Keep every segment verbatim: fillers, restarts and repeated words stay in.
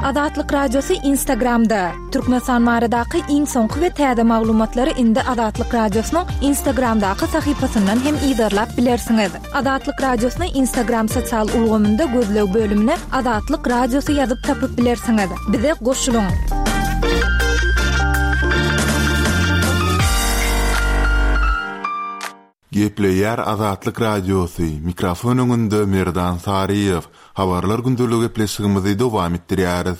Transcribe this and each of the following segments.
Azatlyk Radiosy Instagramda. Türkmenistan baradaky iň soňky we täze maglumatlary indi Azatlyk Radiosynyň Instagramdaky sahypasyndan hem yzarlap bilersiňiz. Azatlyk Radiosyny Instagram sosial ulgamynda gözleg bölümine Azatlyk Radiosy ýazyp tapyp bilersiňiz. Bize goşulyň. Gepleýär Azatlyk Radiosy, mikrofon öňünde Merdan Saryýew. Habarlar gündelik gepleşigimizi dowam etdirýäris.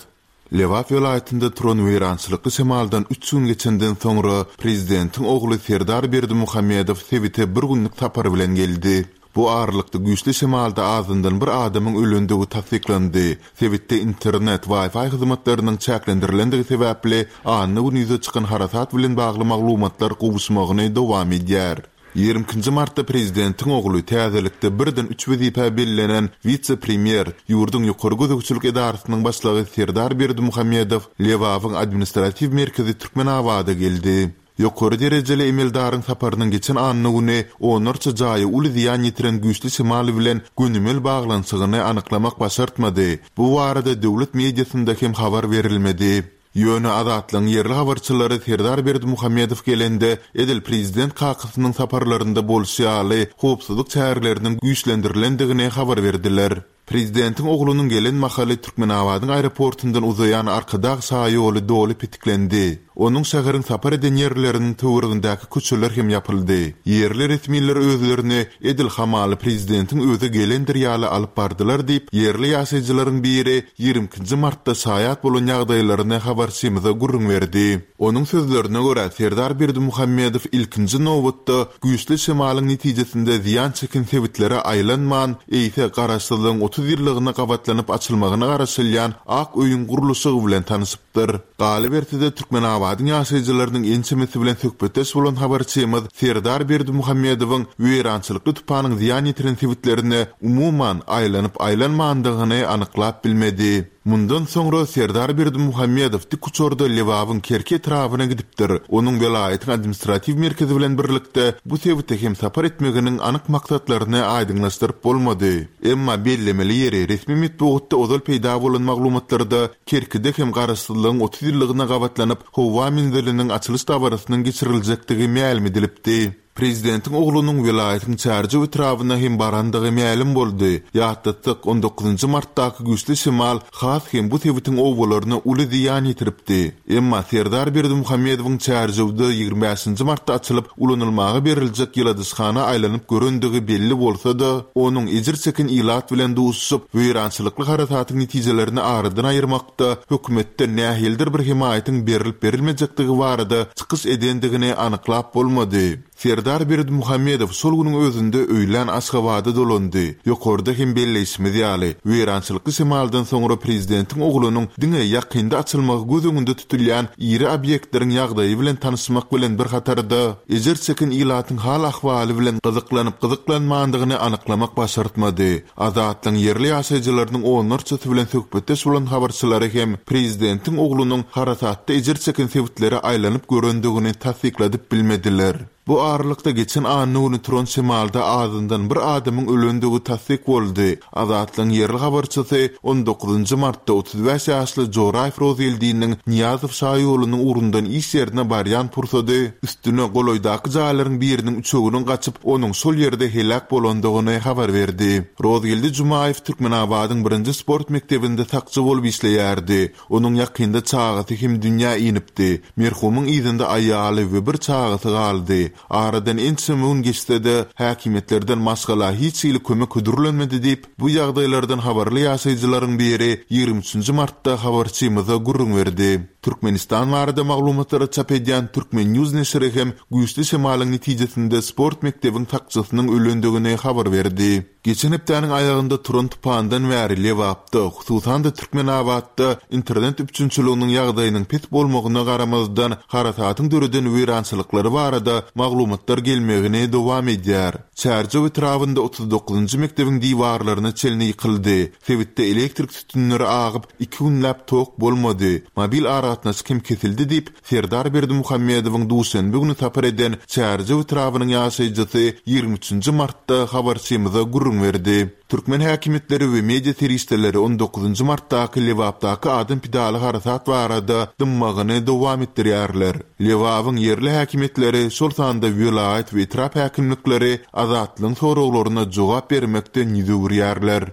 Lebap welaýatynda turan weýrançylykly şemaldan üç gün geçenden soňra prezidentiň ogly Serdar Berdimuhamedow sebite bir günlük sapar bilen geldi. Bu aralykda güýçli şemalda azyndan bir adamyň ölendigi tassyklandy. Sebitde internet, Wi-Fi hyzmatlarynyň çäklendirilendigi sebäpli anna güni ýüze çykan harasat bilen bagly maglumatlar gowuşmagyny dowam edýär. Ýigrimi ikinji martda prezidentiň ogly täzelikde birden üç wezipä bellenen wise-premýer, ýurduň ýokary gözegçilik edarasynyň başlygy Serdar Berdimuhamedow Lebabyň administratiw merkezi Türkmenabada geldi. Ýokary derejeli emeldaryň saparynyň geçen anna güni onlarça jaýa uly zyýan ýetiren güýçli şemal bilen gönümel baglanyşygyny anyklamak başartmady. Bu barada döwlet mediasynda hem habar berilmedi. Ýöne Azatlygyň ýerli habarçylary Serdar Berdimuhamedow gelende, edil prezident kakasynyň saparlarynda bolşy ýaly, howpsuzlyk çäreleriniň güýçlendirilendigini habar berdiler. Prezidentiň oglunyň gelen mahaly Türkmenabadyň aeroportundan uzaýan Arkadag şaýoly doly petiklendi. Onuň şäheriň sapar eden ýerleriniň töweregindäki köçeler hem ýapyldy. Ýerli resmiler özlerini edil hamaly prezidentiň özi gelendir ýaly alyp bardylar diýip, ýerli ýaşaýjylaryň biri ýigrimi ikinji martda şaýat bolan ýagdaýlaryny habarçymyza gürrüň berdi. Onuň sözlerine görä, Serdar Berdimuhamedow ilkinji nobatda güýçli şemalyň netijesinde zyýan çeken sebitlere aýlanman, eýse Garaşsyzlygyň otuz ýyllygyna gabatlanyp açylmagyna garaşylýan Ak öýüň gurluşygy bilen tanyşypdyr. Galyberse-de, Türkmenabadyň ýaşaýjylarynyň ençemesi bilen söhbetdeş bolan habarçymyz Serdar Berdimuhamedowyň weýrançylykly tupanyň zyýan ýetiren sebitlerine umuman aýlanyp-aýlanmandygyny anyklap bilmedi. Mundan soňra Serdar Berdimuhamedow dik uçarda Lebabyň Kerki etrabyna gidipdir. Onuň welaýatyň administratiw merkezi bilen birlikde bu sebite hem sapar etmeginiň anyk maksatlaryny aýdyňlaşdyryp bolmady. Emma bellemeli ýeri, resmi metbugatda ozal peýda bolan maglumatlarda Kerkide hem Garaşsyzlygyň otuz ýyllygyna gabatlanyp howa menziliniň açylyş dabarasynyň geçiriljekdigi mälim edilipdi. Prezidentiň oglunyň welaýatyň Çärjew etrabyna hem barandygy mälim boldy. Ýatlatsak, on dokuzynjy martdaky güýçli şemal has hem bu sebitiň obalaryna uly zyýan ýetiripdi. Emma Serdar Berdimuhamedowyň Çärjewde ýigrimi bäşinji martda açylyp ulanylmaga beriljek ýyladyşhana aýlanyp görendigi belli bolsa-da, onuň ejir çeken ilat bilen duşuşyp, weýrançylykly harasatyň netijelerini aradan aýyrmakda hökümetden nähilidir bir hemaýatyň berilip-berilmejekdigi barada çykyş edendigini anyklap bolmady. Serdar Berdimuhamedow şol günüň özünde öýlän Aşgabada dolandy. Ýokarda hem belleýşimiz ýaly, weýrançylykly şemaldan soňra prezidentiň oglunyň diňe ýakynda açylmagy göz öňünde tutulýan iri obýektleriň ýagdaýy bilen tanyşmak bilen bir hatarda, ejir çeken ilatyň hal-ahwaly bilen gyzyklanyp-gyzyklanmandygyny anyklamak başartmady. Azatlygyň ýerli ýaşaýjylarynyň onlarçasy bilen söhbetdeş bolan habarçylary hem prezidentiň oglunyň harasatda ejir çeken sebitlere aýlanyp görendigini tassykladyp bilmediler. Bu aralykda geçen anna güni turan şemalda azyndan bir adamyň ölendigi tassyk boldy. Azatlygyň ýerli habarçysy on dokuzynjy martda otuz bäş ýaşly Joraýew Rozgeldiniň Nyýazow şaýolunyň ugrundan iş ýerine barýan pursady üstüne golaýdaky jaýlaryň biriniň üçeginiň gaçyp, onuň şol ýerde heläk bolandygyny habar berdi. Rozgeldi Jumaýew Türkmenabadyň birinji sport mekdebinde sakçy bolup işleýärdi. Onuň ýakynda çagasy hem dünýä inipdi. Merhumyň yzynda aýaly we bir çagasy galdy. Aradan ençeme gün geçse-de, häkimiýetlerden maşgala hiç hili kömek hödürlenmedi diýip, bu ýagdaýlardan habarly ýaşaýjylaryň biri ýigrimi üçünji martda habarçymyza gürrüň berdi. Türkmenistan barada maglumatlary çap edýän Türkmen News neşiri hem güýçli şemalyň netijesinde sport mekdebiň sakçysynyň ölendigini habar berdi. Geçen hepdäniň aýagynda turan tupandan bäri Lebapda, hususan-da Türkmenabatda internet üpjünçiliginiň ýagdaýynyň pes bolmagyna garamazdan harasatyň döreden weýrançylyklary barada maglumatlar gelmegini dowam edýär. Çärjew etrabynda otuz dokuzynjy mekdebiň diwarlaryna çenli ýykyldy. Sebitde elektrik sütünleri agyp, iki günläp tok bolmady. Mobil aragatnaşyk hem kesildi diýip, Serdar Berdimuhamedowyň duşenbe güni sapar eden Çärjew etrabynyň ýaşaýjysy ýigrimi üçünji martda habarçymyza gürrüň berdi. Türkmen häkimiýetleri we media serişdeleri on dokuzynjy martdaky Lebapdaky adam pidaly harasat barada dymmagyny dowam etdirýärler. Lebabyň ýerli häkimiýetleri, şol sanda welaýat we etrap häkimlikleri Azatlygyň soraglaryna jogap bermekden ýüz öwürýärler.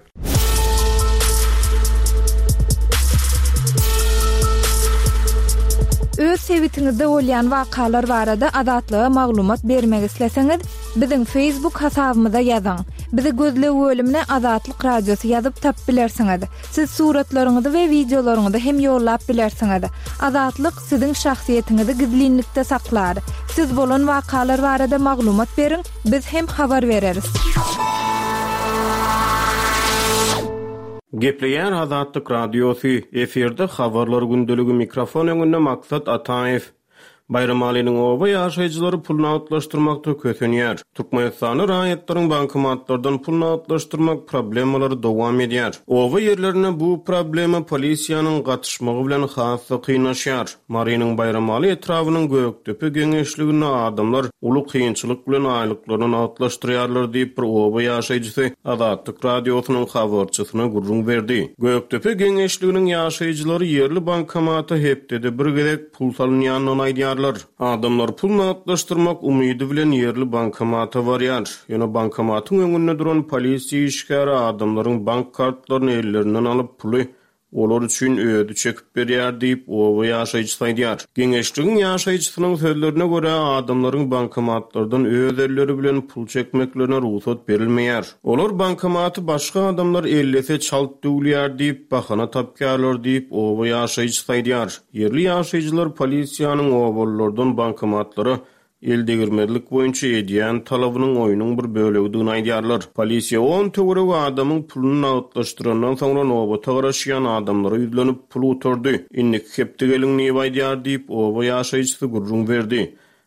Öz sebitiňizde bolýan wakalar barada Azatlyga maglumat bermek isleseňiz, biziň Facebook hasabymyza ýazyň. Bizi gözleg bölümine Azatlyk Radiosy ýazyp tap bilersiňiz. Siz suratlaryňyzy we wideolaryňyzy hem ýollap bilersiňiz. Azatlyk siziň şahsyýetiňizi gizlinlikde saklar. Siz bolan wakalar barada maglumat beriň, biz hem habar bereris. Gepleýär Azatlyk Radiosy, efirde habarlar gündeligi, mikrofon öňünde Maksat Ataýew. Baýramalynyň oba ýaşaýjylary pul nagtlaşdyrmakda kösenýär. Türkmenistanda raýatlaryň bankomatlardan pul nagtlaşdyrmak problemalary dowam edýär. Oba ýerlerinde bu problema polisiýanyň gatyşmagy bilen has-da kynlaşýar. Marynyň Baýramaly etrabynyň Gökdepe geňeşliginde adamlar uly kynçylyk bilen aýlyklaryny nagtlaşdyrýarlar diýip bir oba ýaşaýjysy Azatlyk Radiosynyň habarçysyna gürrüň berdi. Gökdepe geňeşliginiň ýaşaýjylary ýerli bankomata hepdede bir gezek pul salynýandygyny aýdýarlar. Adamlar pul nagtlaşdyrmak umydy bilen ýerli bankomata barýar. Ýöne bankomatyň öňünde duran polisiýa işgäri adamlaryň bank kartlaryny ellerinden alyp puly olar üçin özi çekip berýär diýip oba ýaşaýjysy aýdýar. Geňeşligiň ýaşaýjysynyň sözlerine görä adamlaryň bankomatlardan öz elleri bilen pul çekmeklerine rugsat berilmeýär. Olar bankomaty başga adamlar ellese çalt döwülýär diýip bahana tapýarlar diýip oba ýaşaýjysy aýdýar. Ýerli ýaşaýjylar polisiýanyň obalardan bankomatlara el degirmezlik boýunça edýän talabynyň oýnuň bir bölegidigini aýdýarlar. Polisiýa on töweregi adamyň puluny nagtlaşdyrandan soňra nobata garaşýan adamlara ýüzlenip pul gutardy. Indiki hepde geliň diýip aýdýar diýip oba ýaşaýjysy gürrüň berdi.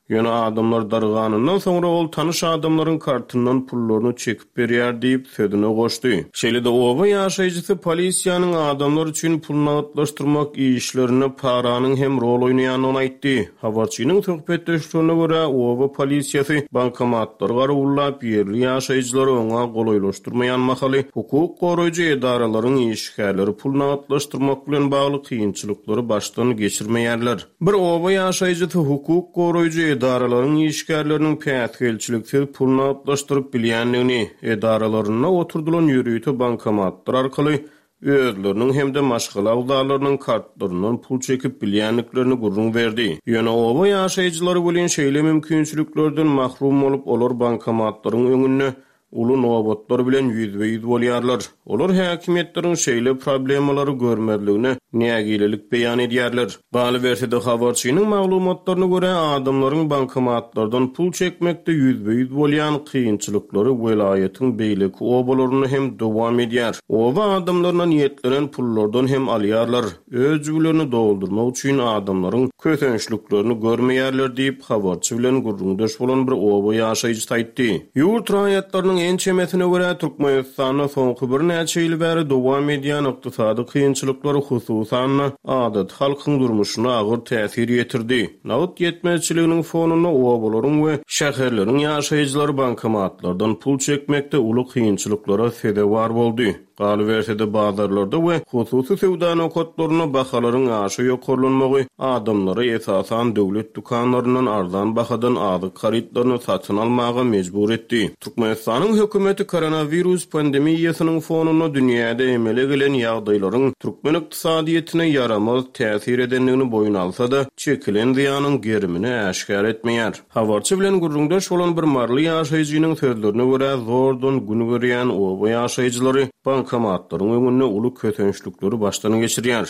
Ýöne adamlar darganyndan soňra ol tanyş adamlaryň kartyndan pullaryny çekip berýär diýip sözüne goşdy. Şeýle-de oba ýaşaýjysy polisiýanyň adamlar üçin pul nagtlaşdyrmak işlerinde paranyň hem rol oýnaýandygyny aýtdy. Habarçynyň söhbetdeşligine görä oba polisiýasy bankomatlary garawullap ýerli ýaşaýjylary oňa golaýlaşdyrmaýan mahaly hukuk goraýjy edaralaryň işgärleri pul nagtlaşdyrmak bilen bagly kynçylyklary başdan geçirmeýärler. Bir oba ýaşaýjysy hukuk goraýjy edaralaryň işgärleriniň päsgelçiliksiz pul nagtlaşdyryp bilýändigini, edaralarynda oturdylan ýörite bankomatlar arkaly özleriniň hem-de maşgala agzalarynyň kartlaryndan pul çekip bilýändiklerini gürrüň berdi. Ýöne oba ýaşaýjylary bilen şeýle mümkinçiliklerden mahrum bolup, olar bankomatlaryň öňünde uly nobatlar bilen ýüzbe-ýüz bolýarlar. Olar häkimiýetleriň şeýle problemalary görmezligine nägilelik beýan edýärler. Galyberse-de habarçynyň maglumatlaryna görä adamlaryň bankomatlardan pul çekmekde ýüzbe-ýüz bolýan kynçylyklary welaýatyň beýleki obalarynda hem dowam edýär. Oba adamlaryna niýetlenen pullardan hem alýarlar. Öz jübülerini doldurmak üçin adamlaryň kösençliklerini görmeýärler diýip habarçy bilen gürrüňdeş bolan bir oba ýaşaýjysy aýtdy. Ýurt raýatlarynyň ençemesine görä Türkmenistanda soňky birnäçe ýyl bäri dowam edýän ykdysady kynçylyklar hususan-da adaty halkyň durmuşyna agyr täsir ýetirdi. Nagt ýetmezçiliginiň fonunda obalaryň we şäherleriň ýaşaýjylary bankomatlardan pul çekmekde uly kynçylyklara sezewar boldy. Galyberse-de bazarlarda we hususy söwda nokatlarynda bahalaryň aşa ýokarlanmagy adamlary esasan döwlet dükanlaryndan arzan bahadan azyk harytlaryny satyn almaga mejbur etdi. Türkmenistanyň hökümeti koronawirus pandemiýasynyň fonunda dünýäde emele gelen ýagdaýlaryň türkmen ykdysadyýetine ýaramaz täsir edendigini boýun alsa-da, çekilen zyýanyň gerimini äşgär etmeýär. Habarçy bilen gürrüňdeş bolan bir maryly ýaşaýjynyň sözlerine görä zordan gün görýän oba ýaşaýjylary bankomatlaryň öňünde uly kösençlikleri başdan geçirýär.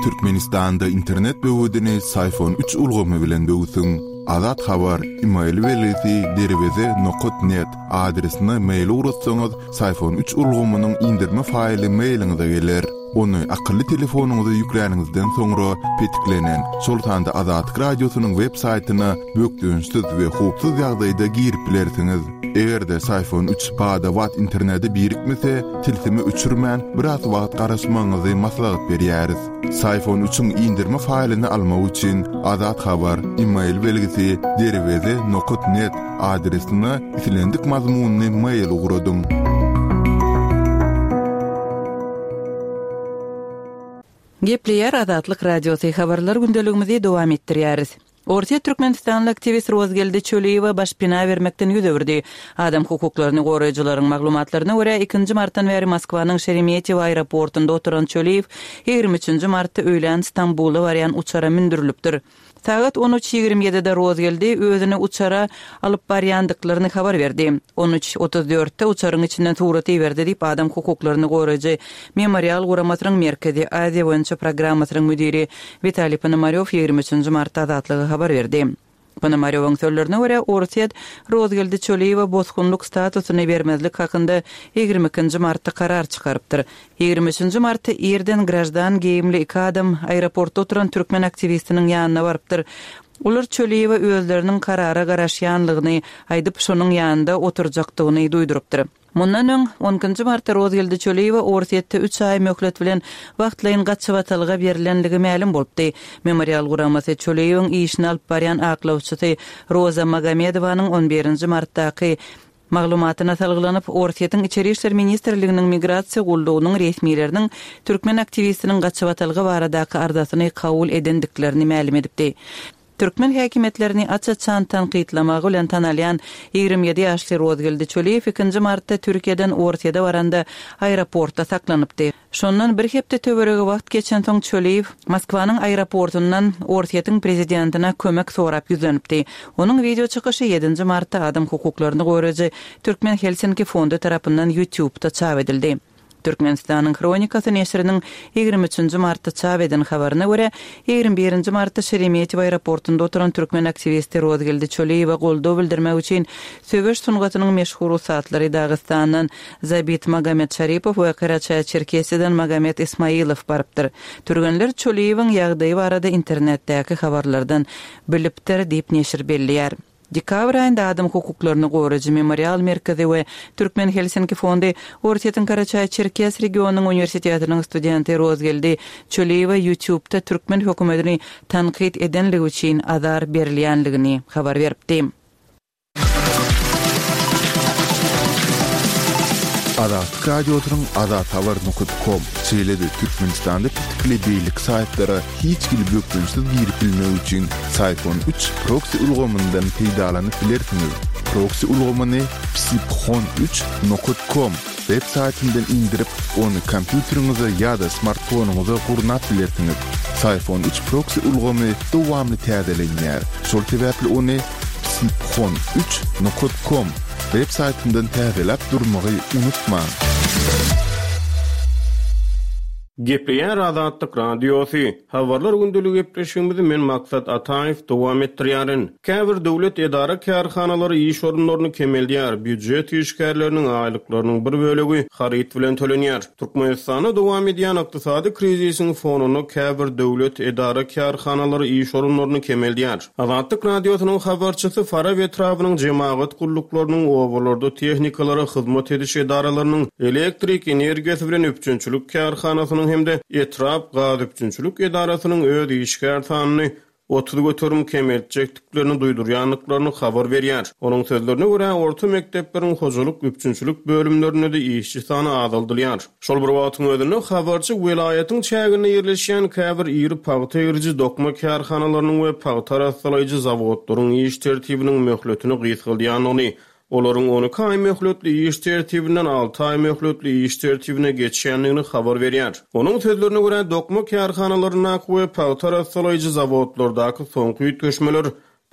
Türkmenistanda internet böwedini Syfon üç ulgamy bilen böwsüň. Azat Habar, e-mail belgisi derweze nokta net adresine mail ugratsaňyz, Syfon üç ulgamynyň indirme faýly mailiňize geler. Ony akylly telefonyňyza ýükläniňizden soňra petiklenen, şol sanda Azatlyk Radiosynyň web saýtyna bökdençsiz we howpsuz ýagdaýda girip bilersiňiz. Eger-de Syfon üç bada-bat internete birikmese, tilsimi öçürmän biraz wagt garaşmagyňyzy maslahat berýäris. Syfon üçiň indirme faýlyny almak üçin Azat Habar e-mail belgisi derweze nokta net adresine islendik mazmunyny mail ugradyň. Gepleýär Azatlyk Radiosy habarlar gündeligimizi dowam etdirýäris. Orsýet Türkmenistanly aktiwist Rozgeldi Çöliýewe başpena bermekden ýüz öwürdi. Adam hukuklaryny goraýjylaryň maglumatlaryna görä ikinji martdan bäri Moskwanyň Şeremetýewo aeroportunda oturan Çöliýew ýigrimi üçünji martda öýlän Stambula barýan uçara mündürilipdir. Sagat on üç ýigrimi ýedide Rozgeldi özüni uçara alyp barýandyklaryny habar berdi. On üç otuz dörtde uçaryň içinden surat iberdi diýip adam hukuklaryny goraýjy Memorial guramasynyň Merkezi Aziýa boýunça programmasynyň müdiri Witaliý Ponomarýow ýigrimi üçünji martda Azatlyga habar berdi. Ponomarýowyň sözlerine görä Orsýet Rozgeldi Çöliýewe bosgunlyk statusyny bermezlik hakynda ýigrimi ikinji martda karar çykarypdyr. Ýigrimi üçünji martda irden grajdan geýimli iki adam aeroportda oturan türkmen aktiwistiniň ýanyna barypdyr. Olar Çöliýewe özleriniň karara garaşýanlygyny aýdyp şonuň ýanynda oturjakdygyny duýdurypdyr. Mundan öň on ikinji martda Rozgeldi Çöliýewe Orsýetde üç aý möhlet bilen wagtlaýyn gaçybatalga berilenligi mälim bolupdy. Memorial guramasy Çöliýewiň işini alyp barýan aklawçysy Roza Magomedowanyň on birinji martdaky maglumatyna salgylanyp, Orsýetiň Içeri işler ministrliginiň migrasiýa gullugynyň resmileriniň türkmen aktiwistiniň gaçybatalga baradaky arzasyny kabul edendiklerini mälim edipdi. Türkmen häkimiýetlerini aç-açan tankytlamagy bilen tanalýan ýigrimi ýedi ýaşly Rozgeldi Çöliýew ikinji martda Türkiýeden Orsýete baranda aeroportda saklanypdy. Şondan bir hepde töweregi wagt geçensoň Çöliýew Moskwanyň aeroportundan Orsýetiň prezidentine kömek sorap ýüzlenipdi. Onuň video çykyşy ýedinji martda adam hukuklaryny goraýjy Türkmen Helsinki fondy tarapyndan YouTube'da çap edildi. Türkmenistanyň Hronikasy neşiriniň ýigrimi üçünji martda çap eden habaryna görä, ýigrimi birinji martda Şeremetýewo aeroportunda oturan türkmen aktiwisti Rozgeldi Çöliýewe goldaw bildirmek üçin söweş sungatynyň meşhur ussatlary Dagystandan Zabit Magomed Şaripow we Karaçaý-Çerkesiýadan Magomed Ismailow barypdyr. Türgenler Çöliýewiň ýagdaýy barada internetdäki habarlardan bilipdir diýip neşir belleýär. Dekabr aýynda adam hukuklaryny goraýjy Memorial merkezi we Türkmen Helsinki fondy Orsýetiň Karaçaý-Çerkes regionynyň uniwersitetiniň studenti Rozgeldi Çöliýewe YouTube'da türkmen hökümetini tankyt edenligi üçin azar berilýänligini habar beripdi. Azatlyk Radiosynyň Azat Habar nokta com şeýle-de Türkmenistanda petikli beýleki saýtlara hiç hili bökdençsiz girip bilmek üçin Syfon üç proxy ulgamyndan peýdalanyp bilersiňiz. Proxy ulgamyny psiphon üç nokta com web saýtyndan indirip, ony kompýuteriňize ýa-da smartfonyňyza gurnap bilersiňiz. Syfon üç proxy ulgamy dowamly täzelenýär. Şol sebäpli ony psiphon üç nokta com web saýtyndan täzeläp durmagy unutmaň. Gepleýär Azatlyk Radiosy. Habarlar gündelik gepleşigimizi men Maksat Ataýew dowam etdirýärin. Käbir döwlet edara kärhanalary iş orunlaryny kemeldýär. Býujet işgärleriniň aýlyklarynyň bir bölegi haryt bilen tölenýär. Türkmenistanda dowam edýän ykdysady krizisiň fonunda käbir döwlet edara kärhanalary iş orunlaryny kemeldýär. Azatlyk Radiosynyň habarçysy Farap etrabynyň jemagat gulluklarynyň obalarda tehnikalara hyzmat ediş edaralarynyň elektrik energiýasy bilen üpjünçilik kärhanasynyň hem de etrap gaz üpjünçilik edarasynyň öz işgär sanyny otuz göterim kemeltjekdiklerini duýdurýandyklaryny habar berýär. Onuň sözlerine görä orta mekdepleriň hojalyk üpjünçilik bölümlerinde de işçi sany azaldylýar. Şol bir wagtyň özünde habarçy welaýatyň çäginde ýerleşýän käbir iri pagta eriji dokma kärhanalarynyň we pagta arassalayjy zawodlaryň iş tertibiniň möhletini gysgaldýandygyny, olaryň on iki aý möhletli iş tertibinden alty aý möhletli iş tertibine geçýändigini habar berýär. Onuň sözlerine görä dokma kärhanalaryndaky we pagta arassalayjy zawodlardaky soňky üýtgeşmeler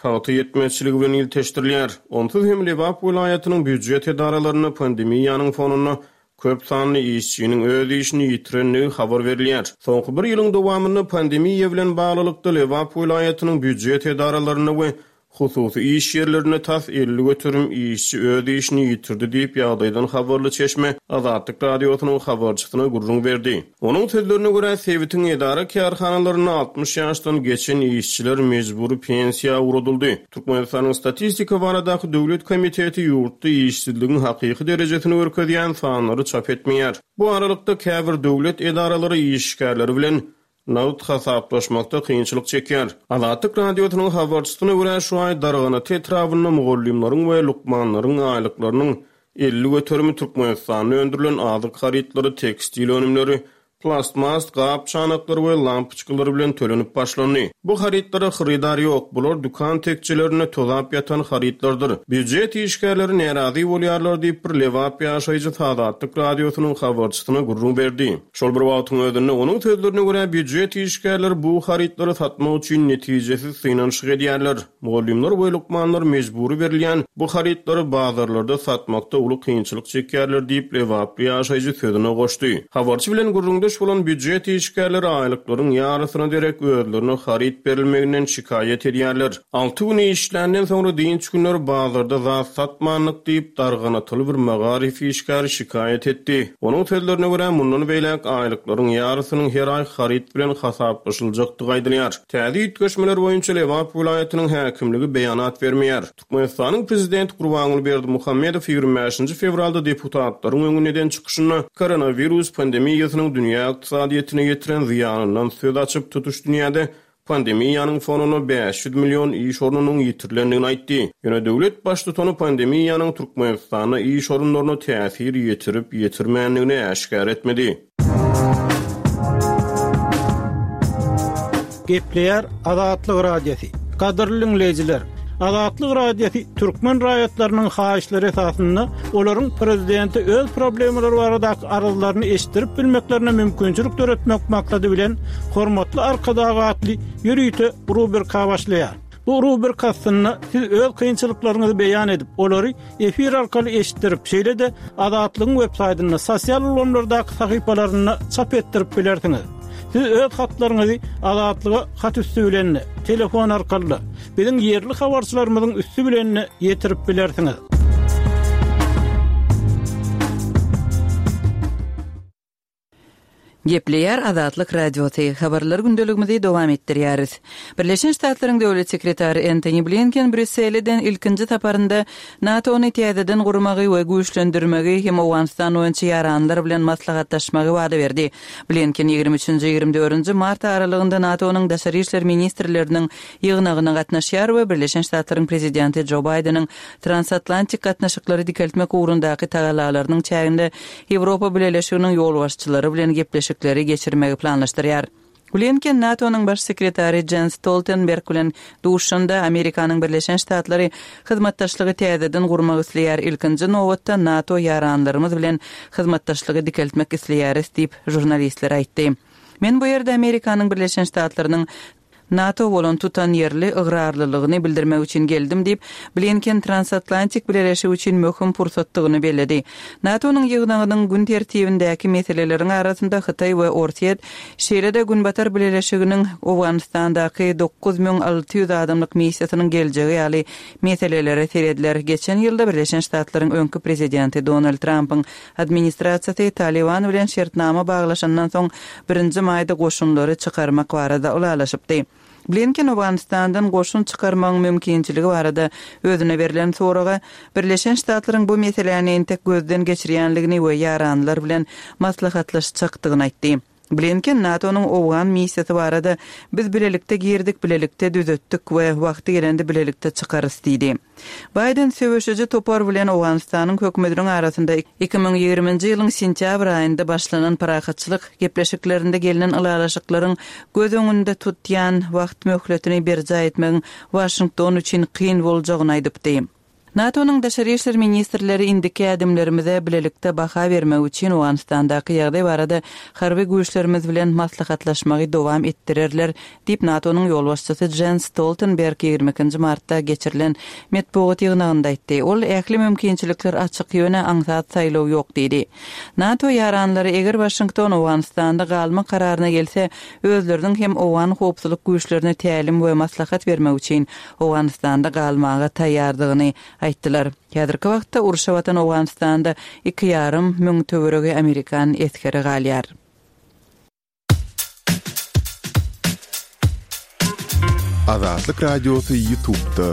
pagta ýetmezçiligi bilen ilteşdirilýär. Onsuz hem Lebap welaýatynyň býujet edaralarynda pandemiýanyň fonunda köp sanly işçiniň öz işini ýitirendigi habar berilýär. Soňky bir ýylyň dowamynda pandemiýa bilen baglylykda Lebap welaýatynyň býujet edaralarynda we Hususy iş ýerlerinde tas elli göterim işçi öz işini ýitirdi diýip, ýagdaýdan habarly çeşme Azatlyk Radiosynyň habarçysyna gürrüň berdi. Onuň sözlerine görä, sebitiň edara-kärhanalarynda altmyş ýaşdan geçen işçiler mejbury pensiýa ugradyldy. Türkmenistanyň Statistika baradaky döwlet komiteti ýurtda işsizligiň hakyky derejesini görkezýän sanlary çap etmeýär. Bu aralykda, käbir döwlet edaralary işgärleri bilen nagt hasaplaşmakda kynçylyk çekýär. Azatlyk Radiosynyň habarçysyna görä, şu aý Darganata etrabynda mugallymlaryň we lukmanlaryň aýlyklarynyň elli göterimi Türkmenistanda öndürilen azyk harytlary, tekstil önümleri, plastmas gap-çanaklar we lampoçkalar bilen tölenip başlandy. Bu harytlara hyrydar ýok, bular dükan tekjelerinde tozap ýatan harytlardyr. Býujet işgärleri närazy bolýarlar diýip, bir lebap ýaşaýjysy Azatlyk Radiosynyň habarçysyna gürrüň berdi. Şol bir wagtyň özünde, onuň sözlerine görä, býujet işgärleri bu harytlary satmak üçin netijesiz synanyşyk edýärler. Mugallymlar we lukmanlar mejbury berilýän bu harytlary bazarlarda satmakda uly kynçylyk çekýärler diýip, lebaply ýaşaýjy sözüne goşdy. Habarçy bilen gürrüňdeş bolan býujet işgärleri aýlyklaryň ýarysyna derek özlerine haryt berilmeginden şikaýat edýärler. Alty gün işländen soňra dynç günleri bazarda zat satmandyk diýip, darganatyly bir magaryf işgäri şikaýat etdi. Onuň sözlerine görä, mundan beýläk aýlyklaryň ýarysynyň her aý haryt bilen hasaplaşyljakdygy aýdylýar. Täze üýtgeşmeler boýunça Lebap welaýatynyň häkimligi beýanat bermeýär. Türkmenistanyň Prezidenti Gurbanguly Berdimuhamedow ýigrimi bäşinji fewralda deputatlaryň öňünde eden çykyşynda koronawirus pandemiýasynyň dünýä ykdysadyýetine ýetiren zyýanyndan söz açyp, tutuş dünýäde pandemiýanyň fonunda bäş ýüz million iş ornunyň ýitirilendigini aýtdy. Ýöne döwlet baştutany pandemiýanyň Türkmenistanda iş orunlaryna täsir ýetirip-ýetirmändigini äşgär etmedi. Gepleýär Azatlyk Radiosy. Gadyrly diňleýjiler, Azatlyk Radiosy türkmen raýatlarynyň haýyşlary esasynda olaryň prezidente öz problemalary baradaky arzlaryny eşitdirip bilmeklerine mümkinçilik döretmek maksady bilen Hormatly Arkadag atly ýörite rubrika başlaýar. Bu rubrika astynda siz öz kynçylyklaryňyzy beýan edip, olary efir arkaly eşitdirip, şeýle-de Azatlygyň web saýtynda, sosial ulgamlardaky sahypalarynda çap etdirip bilersiňiz. Siz öz hatlaryňyzy Azatlyga hat üsti bilen-de, telefon arkaly-da, biziň ýerli habarçylarymyzyň üsti bilen-de ýetirip bilersiňiz. Gepleýär Azatlyk Radiosy, habarlar gündeligimizi dowam etdirýäris. Birleşen Ştatlaryň Döwlet sekretary Entoni Blinken Brýussele eden ilkinji saparynda NATO-ny täzeden gurmagy we güýçlendirmegi hem Owganystan boýunça ýaranlar bilen maslahatlaşmagy wada berdi. Blinken ýigrimi üçünji, ýigrimi dördünji mart aralygynda NATO-nyň daşary işler ministrleriniň ýygnagyna gatnaşýar we Birleşen Ştatlaryň prezidenti Jo Baýdeniň transatlantik gatnaşyklary dikeltmek ugrundaky tagallalarynyň çäginde Ýewropa Bileleşiginiň ýolbaşçylary bilen gepleşikleri geçirmegi planlaşdyrýar. Blinken NATO-nyň baş sekretary Jens Stoltenberg bilen duşanda Amerikanyň Birleşen Ştatlary hyzmatdaşlygy täzeden gurmak isleýär, ilkinji nobatda NATO ýaranlarymyz bilen hyzmatdaşlygy dikeltmek isleýäris diýip, žurnalistlere aýtdy. Men bu ýerde Amerikanyň Birleşen Ştatlarynyň NATO bolan tutanýerli ygrarlylygyny bildirmek üçin geldim diýip, Blinken transatlantik bileleşik üçin möhüm pursatdygyny belledi. NATO-nyň ýygnagynyň gün tertibindäki meseleleriň arasynda Hytaý we Orsýet, şeýle-de Günbatar bileleşiginiň Owganystandaky dokuz müň alty ýüz adamlyk missiýasynyň geljegi ýaly meselelere serediler. Geçen ýylda Birleşen Ştatlaryň öňki prezidenti Donald Trampyň administrasiýasy Talyban bilen şertnama baglaşandan soň birinji maýda goşunlary çykarmak barada ylalaşypdy. Blinken Owganystandan goşun çykarmagyň mümkinçiligi barada özüne berlen soraga Birleşen Ştatlaryň bu meseläni entek gözden geçirýänligini we ýaranlar bilen maslahatlaşjakdygyny aýtdy. Blinken NATO-nyň owgan missiýasy barada Biz bilelikde girdik, bilelikde düzetdik we wagty gelende bilelikde çykarys diýdi. Baýden söweşiji topar bilen Owganystanyň hökümetiniň arasynda iki müň ýigriminji ýylyň sentýabr aýynda başlanan parahatçylyk gepleşiklerinde gelnen ylalaşyklaryň göz öňünde tutýan wagt möhletini berjaý etmegiň Waşington üçin kyn boljagyny aýdypdy. NATO-nyň daşary işler ministrleri indiki ädimlerimize bilelikde baha bermek üçin Owganystandaky ýagdaý barada harby güýçlerimiz bilen maslahatlaşmagy dowam etdirerler diýip NATO-nyň ýolbaşçysy Jens Stoltenberg ýigrimi ikinji martda geçirilen metbugat ýygnagynda aýtdy. Ol ähli mümkinçilikler açyk, ýöne aňsat saýlaw ýok diýdi. NATO ýaranlary eger Waşington Owganystanda galmak kararyna gelse, özleriniň hem owgan howpsuzlyk güýçlerine tälim we maslahat bermek üçin Owganystanda galmaga taýýardygyny aýtdylar. Häzirki wagtda urşa batan Owganystanda iki ýarym müň töweregi amerikan esgeri galýar. Azatlyk Radiosy YouTube'da.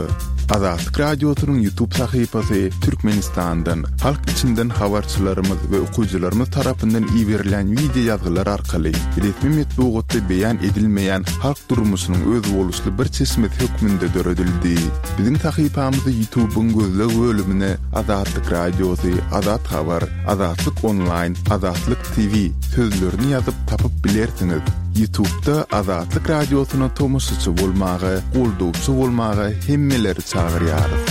Azatlyk Radiosynyň YouTube sahypasy Türkmenistandan, halk içinden habarçylarymyz we okyjylarymyz tarapyndan iberilen wideo ýazgylar arkaly resmi metbugatda beýan edilmeýän halk durmuşynyň özboluşly bir çeşmesi hökmünde döredildi. Biziň sahypamyzy YouTube'yň gözleg bölümine Azatlyk Radiosy, Azat Habar, Azatlyk Online, Azatlyk T V sözlerini ýazyp tapyp bilersiňiz. YouTube'da Azatlyk Radiosyna tomaşaçy bolmaga, goldawçy bolmaga hemmeleri çagyrýarys.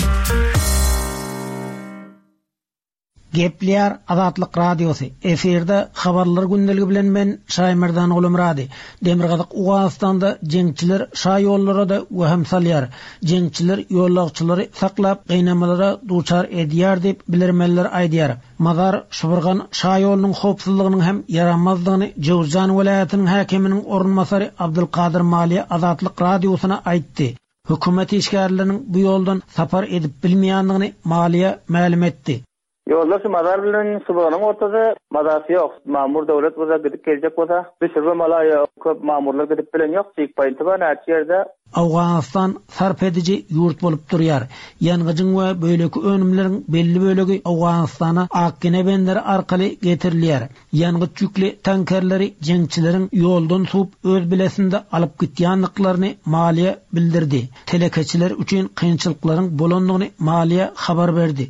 Gepleýär Azatlyk Radiosy. Efirde habarlar gündeligi bilen men Şaýmerdan Gulumrady. Demirgazyk Owganystanda jeňçiler şa ýollara da wehim salýar. Jeňçiler ýolagçylary saklap gynamalara duçar edýär diýip bilermenler aýdýar. Mazar Şuburgan şa ýolunyň howpsuzlygynyň hem ýaramazlygyny Jowzjan welaýatynyň häkiminiň orunbasary Abdulkadir Maliýe Azatlyk Radiosyna aýtdy. Hökümet işgärleriniň bu ýoldan sapar edip bilmeýändigini Maliýe mälim etdi. Ýollar şu mazar bilen Şuburganyň ortada mazasy ýok. Mamur döwlet bolsa gidip geljek bolsa, düşürme malaýa köp mamurlar gidip bilen ýok. Çik paýynty bar näçe ýerde. Owganystan sarp ediji ýurt bolup durýar. Ýangyjyň we böleki önümleriň belli bölegi Owganystana Akgene benderi arkaly getirilýär. Ýangyç ýükli tankerleri jeňçileriň ýoldan suwup öz bilesinde alyp gitýänliklerini maliýe bildirdi. Telekeçiler üçin kynçylyklaryň bolandygyny maliýe habar berdi.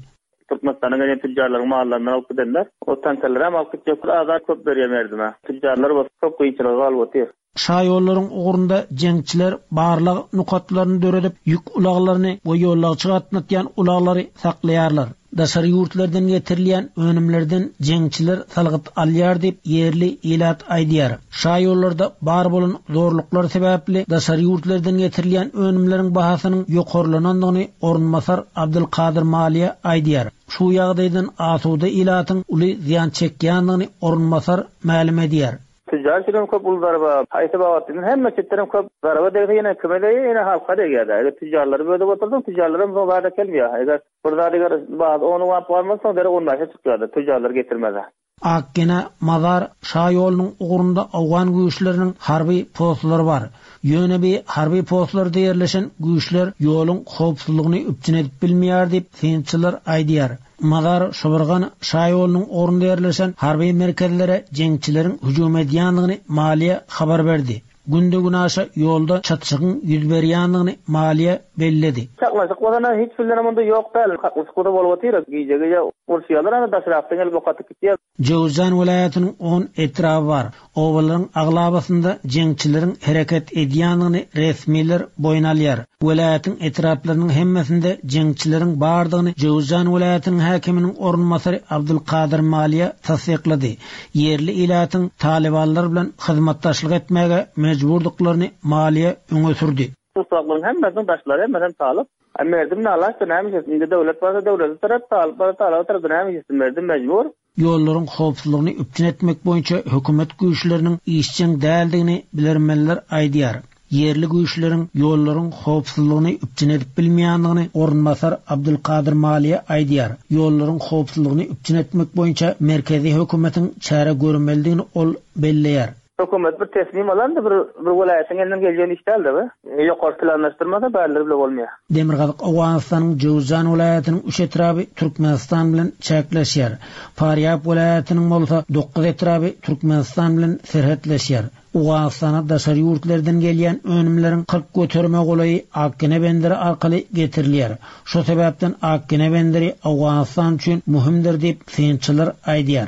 Türkmenistana gelen tüccarlaryň mallaryndan alyp gidenler, o tankerleri hem alyp gitjek, azar köp berýär merdime. Tüccarlar bolsa köp kynçylyga galyp otyr. Şaýollaryň ugrunda jeňçiler barlyk nokatlaryny döredip, ýük ulaglaryny we ýolagçy gatnatýan ulaglary saklaýarlar. Daşary ýurtlardan getirilýän önümlerden jeňçiler salgyt alýar diýip ýerli ilat aýdýar. Şaýollarda bar bolan zorluklar sebäpli daşary ýurtlardan getirilýän önümleriň bahasynyň ýokarlanandygyny orunbasar Abdulkadir Maliýe aýdýar. Şu ýagdaýdan asuda ilatyň uly zyýan çekýändigini orunbasar mälim edýär. Tüccar üçin köp uly zarba, haýsy babatdan hemme çetlerin köp zarba degse ýene kime degýär, ýene halka degýär. Eger tüccarlary bölüp oturdyň, tüccarlar hem zada kelmeýär. Eger bir zat eger bazı onu wap barmasa, dere on başa çykýar, tüccarlar getirmez. Akgene Mazar Şaýolunyň ugrunda Owgan güýçleriniň harby postlary bar. Ýöne bir harby postlarda ýerleşen güýçler ýoluň howpsuzlygyny üpjün edip bilmeýär diýip synçylar aýdýar. Mazar Şuburgan Şaýolunyň ugrunda ýerleşen harby merkezlere jeňçileriň hüjüm edýändigini maliýe habar berdi. Günde günaşa ýolda çatşygyň ýüz berýändigini maliýe belledi. Çaklaşyk bolana hiç bilen munda ýok däl. Çaklaşyk bolsa bolup otyr. Gije-gije urşýarlar, ana daşrakdan gelip okatyp gitýär. Jowzjan welaýatynyň on etraby bar. Obalaryň aglabasynda jeňçileriň hereket edýändigini resmiler boýun alýar. Welaýatyň etraplarynyň hemmesinde jeňçileriň bardygyny Jowzjan welaýatynyň häkiminiň orunbasary Abdulkadir Maliýe tassyklady. Ýerli ilatyň talibanlar bilen hyzmatdaşlyk etmäge mejburdyklaryny Maliýe öňe sürdi. Tutsaklygyň hemmesiniň daşlary hemmesini talyp. Merdim nalaç da näme işlesin? Indi döwlet barsa döwleti tarap, talyp barsa talyp tarap näme işlesin? Merdim mejbur. Ýollaryň howpsuzlygyny üpjün etmek boýunça hökümet güýçleriniň işjeň däldigini bilermenler aýdýar. Ýerli güýçleriň ýollaryň howpsuzlygyny üpjün edip bilmeýändigini orunbasar Abdulkadir Maliýe aýdýar. Ýollaryň howpsuzlygyny üpjün etmek boýunça merkezi hökümetiň çäre görmelidigini ol belleýär. Hökümet bir teslim alan da bir, bir welaýatyň elinden gelýän iş däldi bu. Ýokary planlaşdyrmasa bärler bile bolmaýar. Demirgazyk Owganystanyň Jowzjan welaýatynyň üç etraby Türkmenistan bilen çäkleşýär. Farýab welaýatynyň bolsa dokuz etraby Türkmenistan bilen serhetleşýär. Owganystana daşary ýurtlardan gelýän önümleriň kyrk göterime golaýy Akgene benderi arkaly getirilýär. Şu sebäpden Akgene benderi Owganystan üçin möhümdir diýip synçylar aýdýar.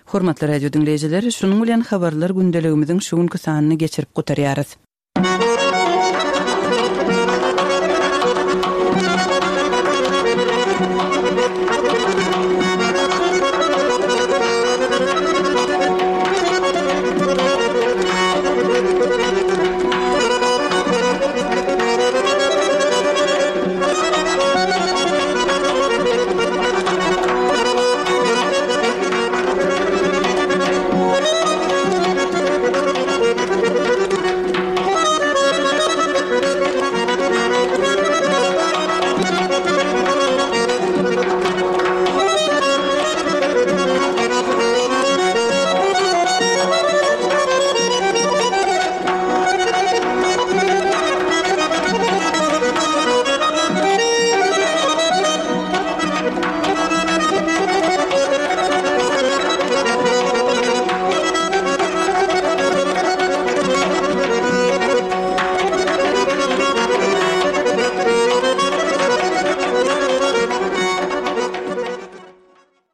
Hormatly radio dinleýjiler, şunuň bilen habarlar gündeligimiziň şu günki sanyny geçirip gutarýarys.